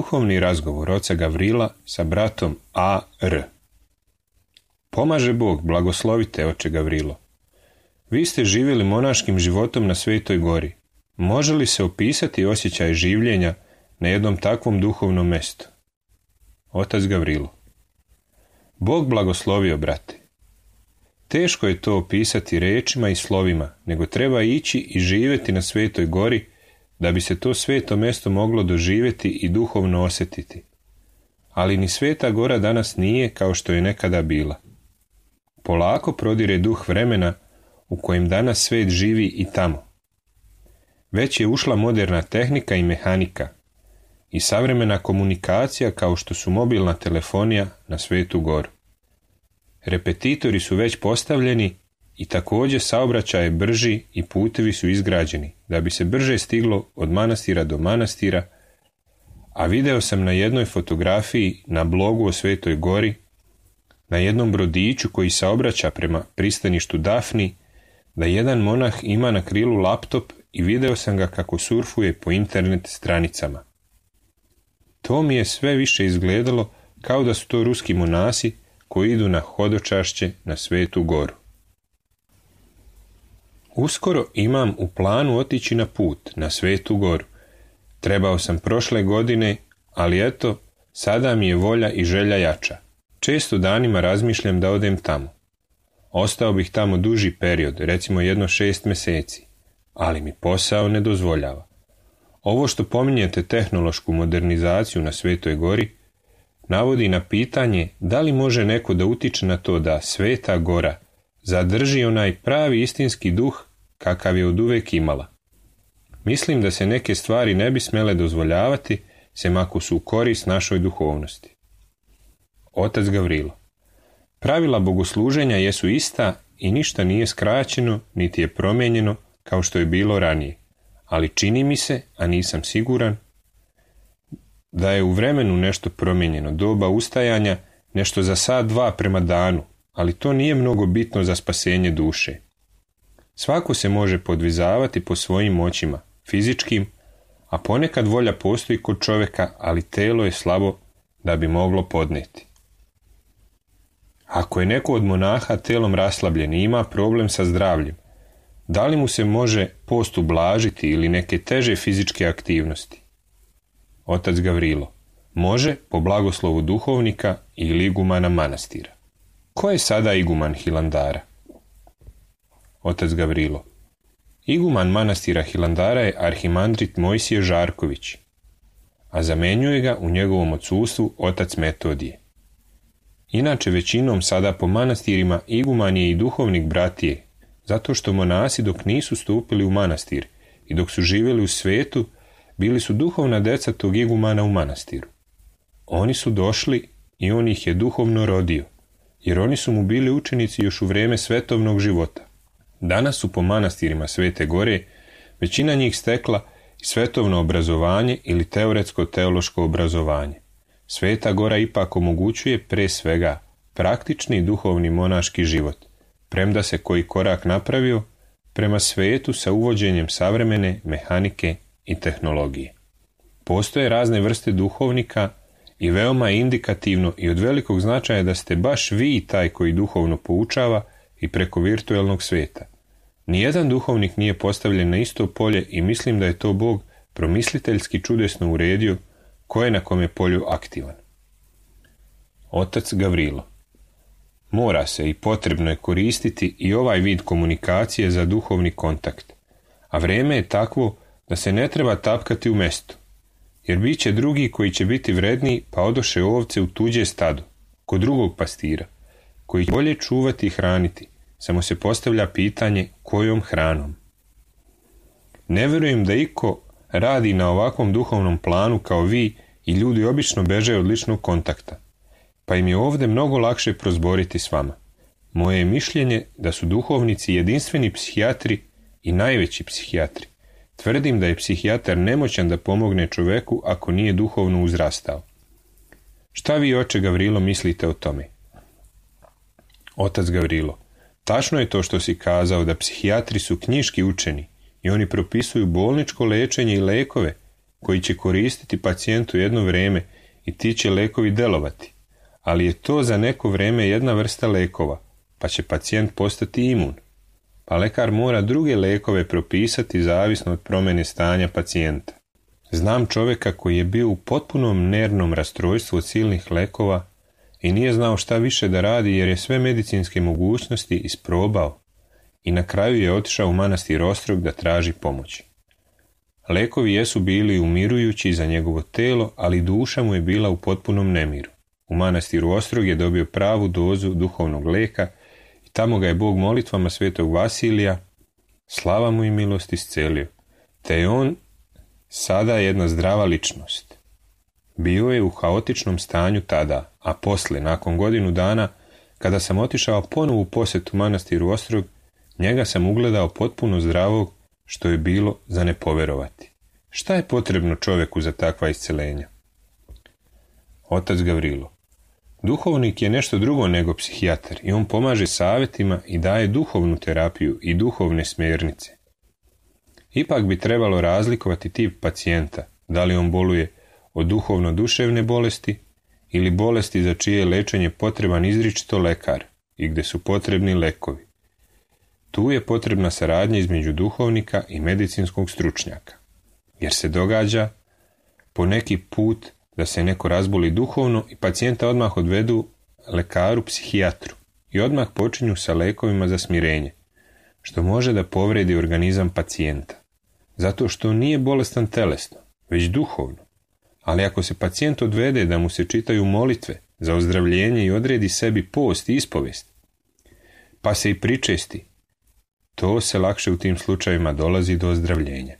Duhovni razgovor oca Gavrila sa bratom A.R. Pomaže Bog, blagoslovite oče Gavrilo. Vi ste živjeli monaškim životom na Svetoj gori. Može li se opisati osjećaj življenja na jednom takvom duhovnom mjestu? Otac Gavrilo. Bog blagoslovio, brate. Teško je to opisati rečima i slovima, nego treba ići i živjeti na Svetoj gori da bi se to sveto mjesto moglo doživjeti i duhovno osjetiti. Ali ni Sveta gora danas nije kao što je nekada bila. Polako prodire duh vremena u kojem danas svet živi i tamo. Već je ušla moderna tehnika i mehanika i savremena komunikacija kao što su mobilna telefonija na Svetu goru. Repetitori su već postavljeni i također saobraćaj je brži i putevi su izgrađeni da bi se brže stiglo od manastira do manastira, a video sam na jednoj fotografiji na blogu o Svetoj gori, na jednom brodiću koji saobraća prema pristaništu Dafni, da jedan monah ima na krilu laptop i video sam ga kako surfuje po internet stranicama. To mi je sve više izgledalo kao da su to ruski monasi koji idu na hodočašće na Svetu goru. Uskoro imam u planu otići na put na Svetu goru. Trebao sam prošle godine, ali eto, sada mi je volja i želja jača. Često danima razmišljam da odem tamo. Ostao bih tamo duži period, recimo 6 mjeseci, ali mi posao ne dozvoljava. Ovo što pominjete tehnološku modernizaciju na Svetoj gori, navodi na pitanje da li može neko da utiče na to da Sveta gora zadrži onaj pravi istinski duh kakav je oduvek imala. Mislim da se neke stvari ne bi smjele dozvoljavati, sem ako su u korist našoj duhovnosti. Otac Gavrilo. Pravila bogosluženja jesu ista i ništa nije skraćeno, niti je promijenjeno kao što je bilo ranije. Ali čini mi se, a nisam siguran, da je u vremenu nešto promijenjeno, doba ustajanja, nešto za sat dva prema danu, ali to nije mnogo bitno za spasenje duše. Svako se može podvizavati po svojim moćima, fizičkim, a ponekad volja postoji kod čovjeka, ali telo je slabo da bi moglo podnijeti. Ako je neko od monaha telom raslabljen i ima problem sa zdravljem, da li mu se može post ublažiti ili neke teže fizičke aktivnosti? Otac Gavrilo: može po blagoslovu duhovnika ili igumana manastira. Ko je sada iguman Hilandara? Otac Gavrilo: iguman manastira Hilandara je arhimandrit Mojsije Žarković, a zamenjuje ga u njegovom odsustvu otac Metodije. Inače većinom sada po manastirima iguman je i duhovnik bratije, zato što monasi dok nisu stupili u manastir i dok su živjeli u svetu, bili su duhovna deca tog igumana u manastiru. Oni su došli i on ih je duhovno rodio, jer oni su mu bili učenici još u vrijeme svetovnog života. Danas su po manastirima Svete Gore većina njih stekla i svetovno obrazovanje ili teoretsko-teološko obrazovanje. Sveta Gora ipak omogućuje pre svega praktični duhovni monaški život, premda se koji korak napravio prema svetu sa uvođenjem savremene mehanike i tehnologije. Postoje razne vrste duhovnika i veoma je indikativno i od velikog značaja da ste baš vi taj koji duhovno poučava i preko virtualnog sveta. Nijedan duhovnik nije postavljen na isto polje i mislim da je to Bog promisliteljski čudesno uredio ko je na kome polju aktivan. Otac Gavrilo: mora se i potrebno je koristiti i ovaj vid komunikacije za duhovni kontakt, a vrijeme je takvo da se ne treba tapkati u mestu, jer bit će drugi koji će biti vredniji pa odoše ovce u tuđe stado, kod drugog pastira, koji će bolje čuvati i hraniti, samo se postavlja pitanje kojom hranom. Ne vjerujem da iko radi na ovakvom duhovnom planu kao vi i ljudi obično beže od ličnog kontakta, pa im je ovdje mnogo lakše prozboriti s vama. Moje je mišljenje da su duhovnici jedinstveni psihijatri i najveći psihijatri. Tvrdim da je psihijatar nemoćan da pomogne čoveku ako nije duhovno uzrastao. Šta vi, oče Gavrilo, mislite o tome? Otac Gavrilo: tačno je to što si kazao da psihijatri su knjiški učeni i oni propisuju bolničko lečenje i lekove koji će koristiti pacijentu jedno vrijeme i ti će lekovi delovati, ali je to za neko vrijeme jedna vrsta lekova, pa će pacijent postati imun. Pa lekar mora druge lekove propisati zavisno od promjene stanja pacijenta. Znam čovjeka koji je bio u potpunom nervnom rastrojstvu od silnih lekova i nije znao šta više da radi jer je sve medicinske mogućnosti isprobao i na kraju je otišao u manastir Ostrog da traži pomoć. Lekovi jesu bili umirujući za njegovo telo, ali duša mu je bila u potpunom nemiru. U manastiru Ostrog je dobio pravu dozu duhovnog leka i tamo ga je Bog molitvama svetog Vasilija, slava mu i milost, iscelio, te je on sada jedna zdrava ličnost. Bio je u haotičnom stanju tada, a poslije, nakon godinu dana, kada sam otišao ponovo u posjetu manastiru Ostrog, njega sam ugledao potpuno zdravog, što je bilo za ne poverovati. Šta je potrebno čovjeku za takva iscelenja? Otac Gavrilo: duhovnik je nešto drugo nego psihijatar i on pomaže savjetima i daje duhovnu terapiju i duhovne smjernice. Ipak bi trebalo razlikovati tip pacijenta, da li on boluje od duhovno-duševne bolesti ili bolesti za čije je lečenje potreban izričito lekar i gdje su potrebni lekovi. Tu je potrebna saradnja između duhovnika i medicinskog stručnjaka, jer se događa po neki put da se neko razboli duhovno i pacijenta odmah odvedu lekaru psihijatru i odmah počinju sa lekovima za smirenje, što može da povredi organizam pacijenta, zato što nije bolestan telesno, već duhovno. Ali ako se pacijent odvede da mu se čitaju molitve za ozdravljenje i odredi sebi post i ispovest, pa se i pričesti, to se lakše u tim slučajevima dolazi do ozdravljenja.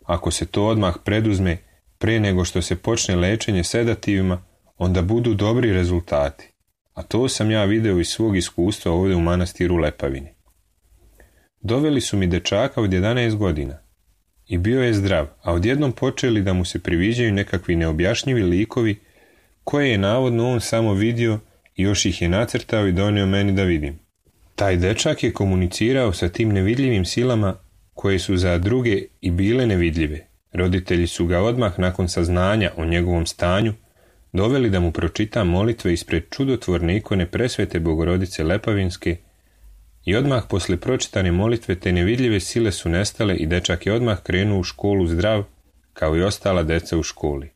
Ako se to odmah preduzme pre nego što se počne lečenje sedativima, onda budu dobri rezultati, a to sam ja video iz svog iskustva ovdje u manastiru Lepavini. Doveli su mi dečaka od 11 godina i bio je zdrav, a odjednom počeli da mu se priviđaju nekakvi neobjašnjivi likovi koje je navodno on samo vidio i još ih je nacrtao i donio meni da vidim. Taj dečak je komunicirao sa tim nevidljivim silama koje su za druge i bile nevidljive. Roditelji su ga odmah nakon saznanja o njegovom stanju doveli da mu pročita molitve ispred čudotvorne ikone presvete Bogorodice Lepavinske i odmah posle pročitane molitve te nevidljive sile su nestale i dečak je odmah krenuo u školu zdrav, kao i ostala deca u školi.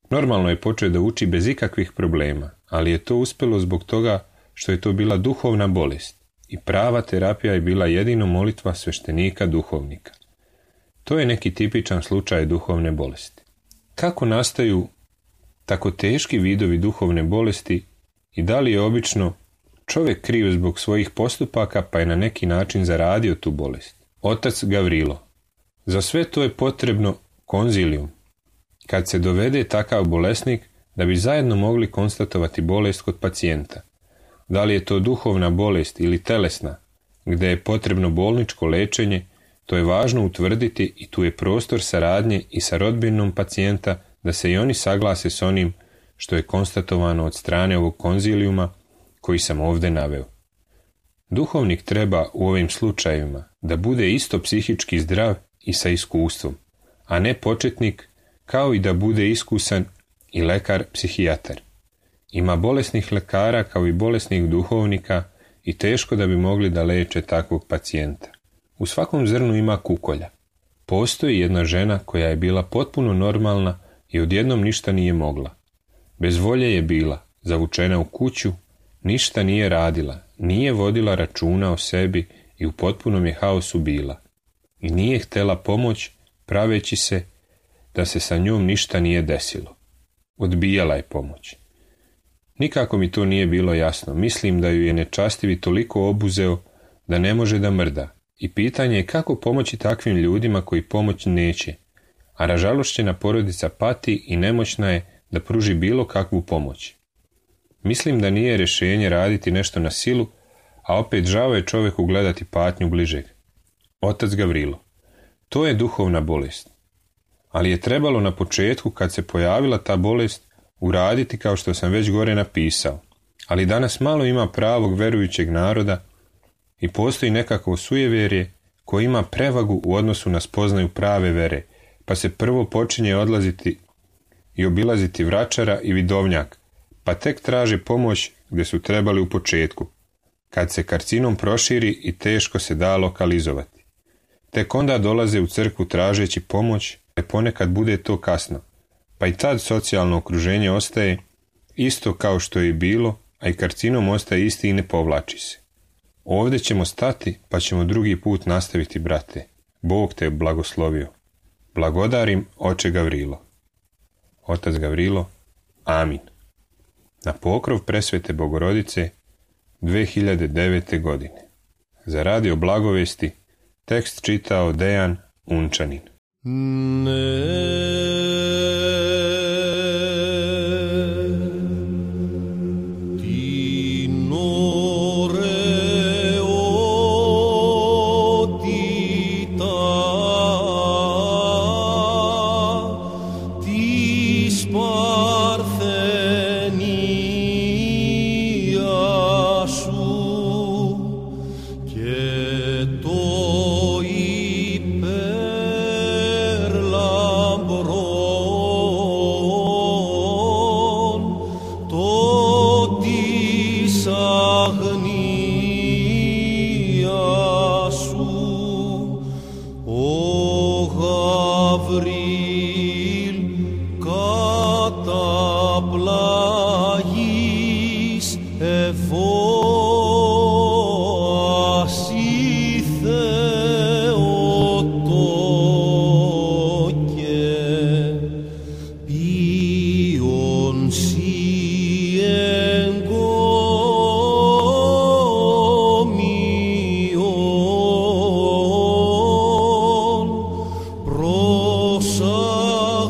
Normalno je počeo da uči bez ikakvih problema, ali je to uspelo zbog toga što je to bila duhovna bolest i prava terapija je bila jedino molitva sveštenika duhovnika. To je neki tipičan slučaj duhovne bolesti. Kako nastaju tako teški vidovi duhovne bolesti i da li je obično čovjek kriv zbog svojih postupaka pa je na neki način zaradio tu bolest? Otac Gavrilo. Za sve to je potrebno konzilijum. Kad se dovede takav bolesnik da bi zajedno mogli konstatovati bolest kod pacijenta. Da li je to duhovna bolest ili telesna, gdje je potrebno bolničko lečenje, to je važno utvrditi i tu je prostor saradnje i sa rodbinom pacijenta da se i oni saglase s onim što je konstatovano od strane ovog konzilijuma koji sam ovdje naveo. Duhovnik treba u ovim slučajevima da bude isto psihički zdrav i sa iskustvom, a ne početnik, kao i da bude iskusan i lekar psihijatar. Ima bolesnih lekara kao i bolesnih duhovnika i teško da bi mogli da leče takvog pacijenta. U svakom zrnu ima kukolja. Postoji jedna žena koja je bila potpuno normalna i odjednom ništa nije mogla. Bez volje je bila, zavučena u kuću, ništa nije radila, nije vodila računa o sebi i u potpunom je haosu bila. I nije htjela pomoć, praveći se da se sa njom ništa nije desilo. Odbijala je pomoć. Nikako mi to nije bilo jasno. Mislim da ju je nečastivi toliko obuzeo da ne može da mrda. I pitanje je kako pomoći takvim ljudima koji pomoć neće, a ražalošćena porodica pati i nemoćna je da pruži bilo kakvu pomoć. Mislim da nije rješenje raditi nešto na silu, a opet žao je čovjeku gledati patnju bližeg. Otac Gavrilo. To je duhovna bolest. Ali je trebalo na početku, kad se pojavila ta bolest, uraditi kao što sam već gore napisao. Ali danas malo ima pravog verujućeg naroda i postoji nekakvo sujevjerje koje ima prevagu u odnosu na spoznaju prave vere, pa se prvo počinje odlaziti i obilaziti vračara i vidovnjak, pa tek traže pomoć gdje su trebali u početku, kad se karcinom proširi i teško se da lokalizovati. Tek onda dolaze u crkvu tražeći pomoć, a ponekad bude to kasno, pa i tad socijalno okruženje ostaje isto kao što je i bilo, a i karcinom ostaje isti i ne povlači se. Ovdje ćemo stati, pa ćemo drugi put nastaviti, brate. Bog te blagoslovio. Blagodarim, oče Gavrilo. Otac Gavrilo, amin. Na pokrov presvete Bogorodice 2009. godine. Za radio Blagovesti tekst čitao Dejan Unčanin.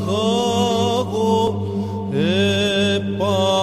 Προσαγάγω επα